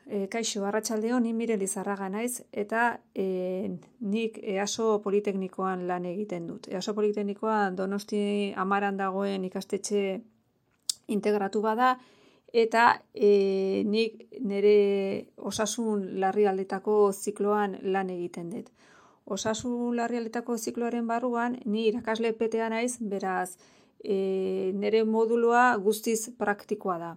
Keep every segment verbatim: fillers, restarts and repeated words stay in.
E, kaixo, arratsaldeon, ni Mire Lizarraga naiz, eta e, nik EASO Politeknikoan lan egiten dut. EASO Politeknikoan Donosti Amaran dagoen ikastetxe integratu bada, eta e, nik nire osasun larrialdetako zikloan lan egiten dut. Osasun larrialdetako zikloaren barruan, ni irakasle petea naiz, beraz, e, nire modulua guztiz praktikoa da.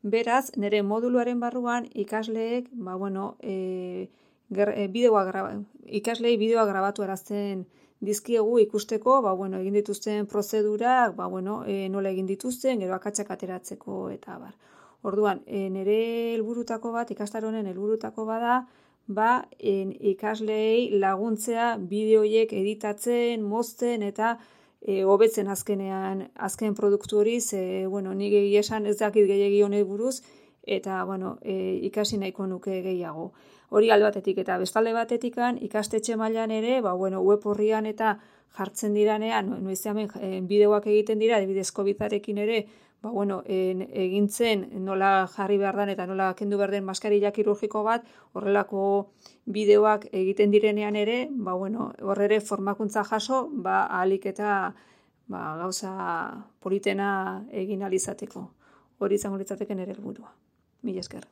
Beraz, nire moduluaren barruan ikasleek, ba, bueno, e, ger, e, bideoa graba, ikaslei bideoa grabatu arazten dizkiegu ikusteko, ba, bueno, egin dituzten prozedurak, ba, bueno, e, nola egin dituzten, gero akatsak ateratzeko eta bar. Orduan, e, nire helburutako bat, ikastaronen helburutako bada, ba, en, ikaslei laguntzea bideoiek editatzen, mozten eta E, hobetzen azkenean, azken produktu hori, ze, bueno, nik egia esan ez dakit gehiagi honei buruz, eta, bueno, e, ikasi nahiko nuke gehiago. Hori alde batetik, eta bestalde batetikan, ikastetxe mailan ere, ba, bueno, web horrian eta jartzen diranean, noiz hemen e, bideoak egiten dira, adibidez Covidarekin ere, ba, bueno, e, egintzen nola jarri behar den eta nola kendu behar den maskarilla kirurgiko bat, horrelako bideoak egiten direnean ere, ba, bueno, hor ere formakuntza jaso, ba, ahalik eta ba, gauza politena egin ahal izateko. Hori izango litzateke nire helburua. Mila esker.